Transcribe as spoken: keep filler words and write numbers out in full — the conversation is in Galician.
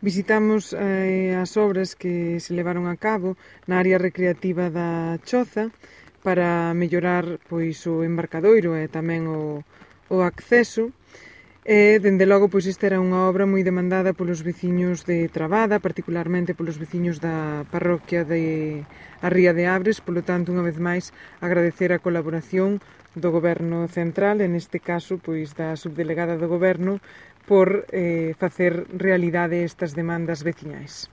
Visitamos eh, as obras que se levaron a cabo na área recreativa da Choza para mellorar pois, o embarcadoiro e tamén o, o acceso. E, dende logo, pois esta era unha obra moi demandada polos veciños de Trabada, particularmente polos veciños da parroquia de a Ría de Abres, polo tanto, unha vez máis, agradecer a colaboración do Goberno Central, en este caso, pois da subdelegada do Goberno, por eh, facer realidade estas demandas veciñais.